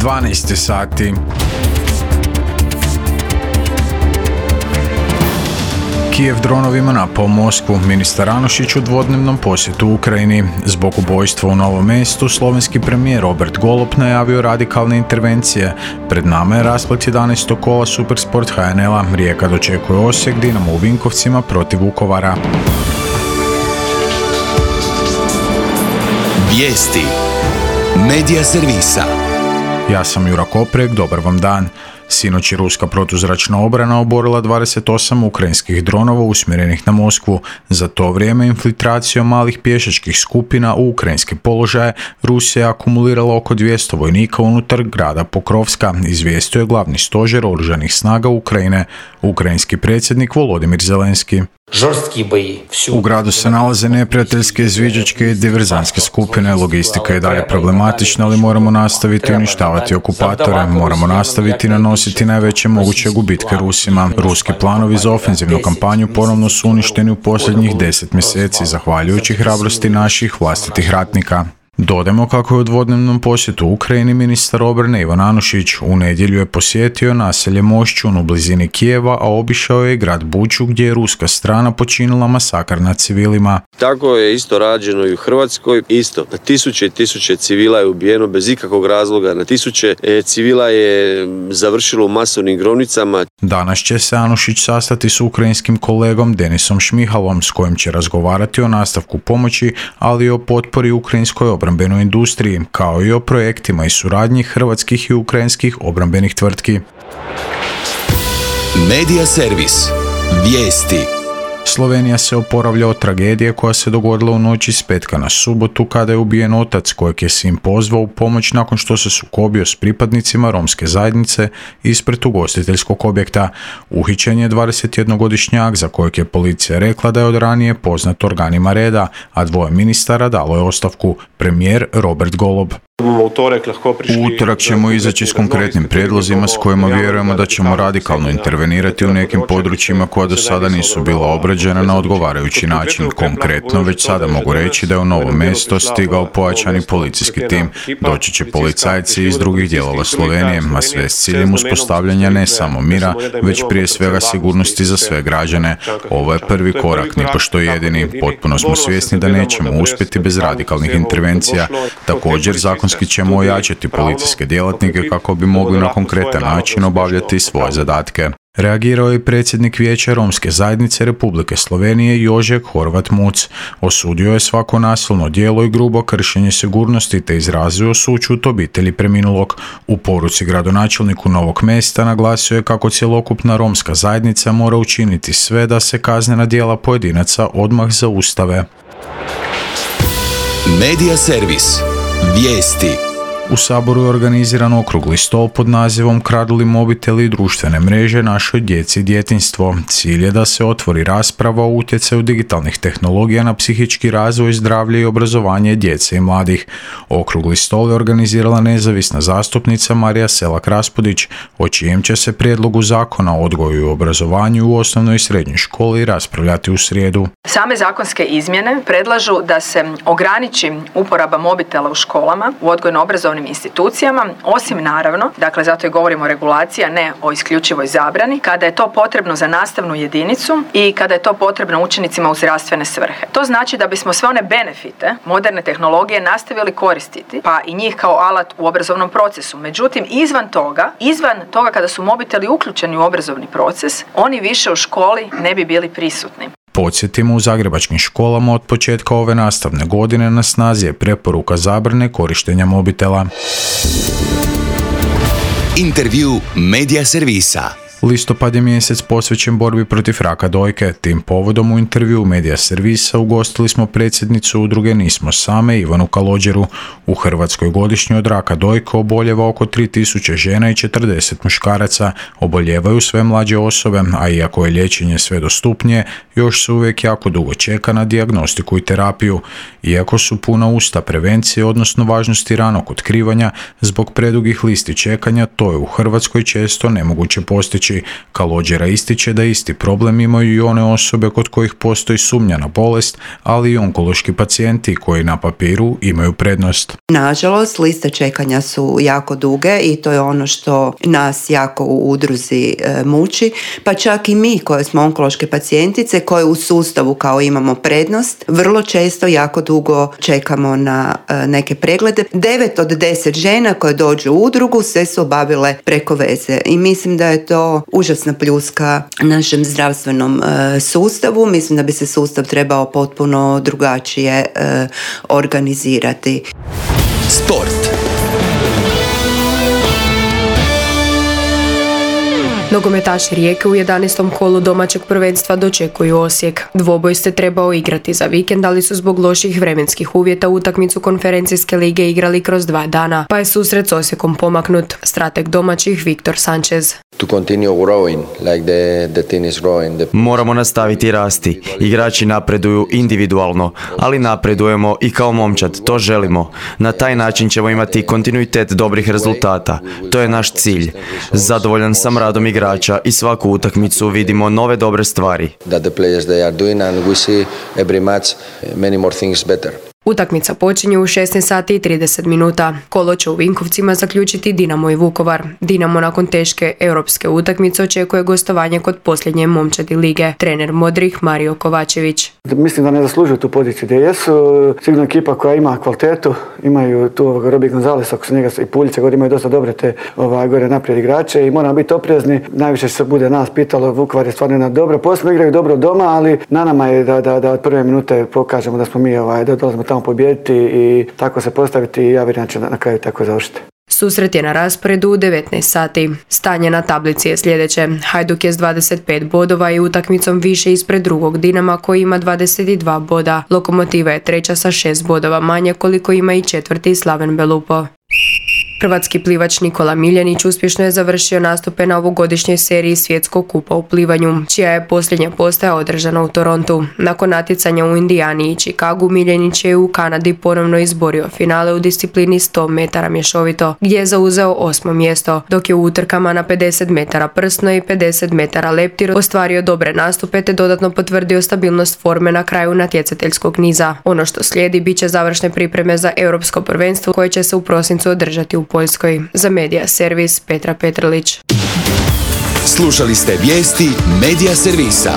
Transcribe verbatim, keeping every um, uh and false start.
dvanaest sati. Kijev dronovima napao Moskvu, ministar Anušić u dvodnevnom posjetu Ukrajini. Zbog ubojstva u Novom Mestu, slovenski premijer Robert Golob najavio radikalne intervencije. Pred nama je rasplet jedanaestog kola Supersport H N L-a. Rijeka dočekuje Osijek, Dinamo u Vinkovcima protiv Vukovara. Vijesti Medija servisa. Ja sam Jura Koprek, dobar vam dan. Sinoć je ruska protuzračna obrana oborila dvadeset osam ukrajinskih dronova usmjerenih na Moskvu. Za to vrijeme infiltracijom malih pješačkih skupina u ukrajinske položaje Rusija je akumulirala oko dvjesto vojnika unutar grada Pokrovska, izvijestio je glavni stožer oružanih snaga Ukrajine, ukrajinski predsjednik Volodimir Zelenski. U gradu se nalaze neprijateljske izviđačke i diverzantske skupine. Logistika je dalje problematična, ali moramo nastaviti uništavati okupatore. Moramo nastaviti nanositi najveće moguće gubitke Rusima. Ruski planovi za ofenzivnu kampanju ponovno su uništeni u posljednjih deset mjeseci, zahvaljujući hrabrosti naših vlastitih ratnika. Dodajmo kako je u dvodnevnom posjetu Ukrajini ministar obrane Ivan Anušić. U nedjelju je posjetio naselje Mošćun u blizini Kijeva, a obišao je i grad Buču gdje je ruska strana počinila masakr nad civilima. Tako je isto rađeno i u Hrvatskoj. Isto, na tisuće i tisuće civila je ubijeno bez ikakvog razloga. Na tisuće civila je završilo u masovnim grobnicama. Danas će se Anušić sastati s ukrajinskim kolegom Denisom Šmihalom, s kojim će razgovarati o nastavku pomoći, ali i o potpori ukrajinskoj obrambenoj industriji, kao i o projektima i suradnji hrvatskih i ukrajinskih obrambenih tvrtki. Medija servis. Vijesti. Slovenija se oporavlja od tragedije koja se dogodila u noći s petka na subotu kada je ubijen otac kojeg je sin pozvao u pomoć nakon što se sukobio s pripadnicima romske zajednice ispred ugostiteljskog objekta. Uhićen je dvadesetjednogodišnjak za kojeg je policija rekla da je od ranije poznat organima reda, a dvoje ministara dalo je ostavku, premijer Robert Golob. U utorak ćemo izaći s konkretnim prijedlozima s kojima vjerujemo da ćemo radikalno intervenirati u nekim područjima koja do sada nisu bila obrađena na odgovarajući način. Konkretno, već sada mogu reći da je u Novo Mesto stigao pojačani policijski tim. Doći će policajci iz drugih dijelova Slovenije, a sve s ciljem uspostavljanja ne samo mira, već prije svega sigurnosti za sve građane. Ovo je prvi korak, nipošto jedini. Potpuno smo svjesni da nećemo uspjeti bez radikalnih intervencija. Također, zakon ćemo ojačati policijske djelatnike kako bi mogli na konkretan način obavljati svoje zadatke. Reagirao je predsjednik Vijeća Romske zajednice Republike Slovenije Jožek Horvat Muc. Osudio je svako nasilno djelo i grubo kršenje sigurnosti te izrazio sućut obitelji preminulog. U poruci gradonačelniku Novog Mesta naglasio je kako cjelokupna romska zajednica mora učiniti sve da se kaznena djela pojedinaca odmah zaustave. Medija servis. Vijesti. U Saboru je organiziran okrugli stol pod nazivom Kradli mobiteli i društvene mreže našoj djeci i djetinjstvo. Cilj je da se otvori rasprava o utjecaju digitalnih tehnologija na psihički razvoj, zdravlje i obrazovanje djece i mladih. Okrugli stol je organizirala nezavisna zastupnica Marija Selak-Raspudić, o čijem će se prijedlogu zakona o odgoju i obrazovanju u osnovnoj i srednjoj školi raspravljati u srijedu. Same zakonske izmjene predlažu da se ograniči uporaba mobitela u školama, u odgojno-obrazovnim institucijama, osim naravno, dakle zato i govorimo o regulaciji, a ne o isključivoj zabrani, kada je to potrebno za nastavnu jedinicu i kada je to potrebno učenicima u zdravstvene svrhe. To znači da bismo sve one benefite moderne tehnologije nastavili koristiti, pa i njih kao alat u obrazovnom procesu. Međutim, izvan toga, izvan toga kada su mobiteli uključeni u obrazovni proces, oni više u školi ne bi bili prisutni. Podsjetimo, u zagrebačkim školama od početka ove nastavne godine na snazi je preporuka zabrane korištenja mobitela. Intervju Medija servisa. Listopad je mjesec posvećen borbi protiv raka dojke. Tim povodom u intervju Medija servisa ugostili smo predsjednicu udruge Nismo same Ivanu Kalođeru. U Hrvatskoj godišnje od raka dojke oboljeva oko tri tisuće žena i četrdeset muškaraca. Oboljevaju sve mlađe osobe, a iako je liječenje sve dostupnije, još se uvijek jako dugo čeka na dijagnostiku i terapiju. Iako su puna usta prevencije, odnosno važnosti ranog otkrivanja, zbog predugih listi čekanja, to je u Hrvatskoj često nemoguće postići. riječi Kalođera ističe da isti problem imaju i one osobe kod kojih postoji sumnja na bolest, ali i onkološki pacijenti koji na papiru imaju prednost. Nažalost, liste čekanja su jako duge i to je ono što nas jako u udruzi e, muči, pa čak i mi koje smo onkološke pacijentice koje u sustavu kao imamo prednost, vrlo često jako dugo čekamo na e, neke preglede. devet od deset žena koje dođu u udrugu sve su obavile preko veze i mislim da je to užasna pljuska našem zdravstvenom e, sustavu. Mislim da bi se sustav trebao potpuno drugačije e, organizirati. Sport. Nogometaši Rijeke u jedanaestom kolu domaćeg prvenstva dočekuju Osijek. Dvoboj se trebao igrati za vikend, ali su zbog loših vremenskih uvjeta utakmicu konferencijske lige igrali kroz dva dana, pa je susret s Osijekom pomaknut. Strateg domaćih Viktor Sanchez. To continue growing like the, the team is growing. The... Moramo nastaviti rasti. Igrači napreduju individualno, ali napredujemo i kao momčad, to želimo. Na taj način ćemo imati kontinuitet dobrih rezultata. To je naš cilj. Zadovoljan sam radom igrača i svaku utakmicu vidimo nove dobre stvari. That the players they are doing and we see every match many more things better. Utakmica počinje u šesnaest sati i trideset minuta. Kolo će u Vinkovcima zaključiti Dinamo i Vukovar. Dinamo nakon teške europske utakmice očekuje gostovanje kod posljednje momčadi lige. Trener Modrih Mario Kovačević. Mislim da ne zaslužuju tu poziciju gdje jesu. Sigurno ekipa koja ima kvalitetu, imaju tu ovoga Robi Gonzalesa, ako se njega i Puljića, gore imaju dosta dobre te ovaj, gore naprijed igrače i moramo biti oprezni. Najviše se bude nas pitalo, Vukovar je stvarno jedna dobra. Posebno igraju dobro doma, ali na nama je da, da, da od prve minute pokažemo da smo mi ovaj, da dolazimo tamo pobijediti i tako se postaviti i ja vjerujem da će na kraju tako završiti. Susret je na rasporedu u devetnaest sati. Stanje na tablici je sljedeće. Hajduk je s dvadeset pet bodova i utakmicom više ispred drugog Dinama koji ima dvadeset dva boda. Lokomotiva je treća sa šest bodova manje koliko ima i četvrti Slaven Belupo. Hrvatski plivač Nikola Miljenić uspješno je završio nastupe na ovogodišnjoj seriji Svjetskog kupa u plivanju, čija je posljednja postaja održana u Torontu. Nakon natjecanja u Indijani i Chicagu, Miljenić je u Kanadi ponovno izborio finale u disciplini sto metara mješovito, gdje je zauzeo osmo mjesto, dok je u utrkama na pedeset metara prsno i pedeset metara leptir ostvario dobre nastupe te dodatno potvrdio stabilnost forme na kraju natjecateljskog niza. Ono što slijedi bit će završne pripreme za europsko prvenstvo koje će se u prosincu održati u Poljskoj. Za Medija Servis Petra Petrlić. Slušali ste vijesti Medija Servisa.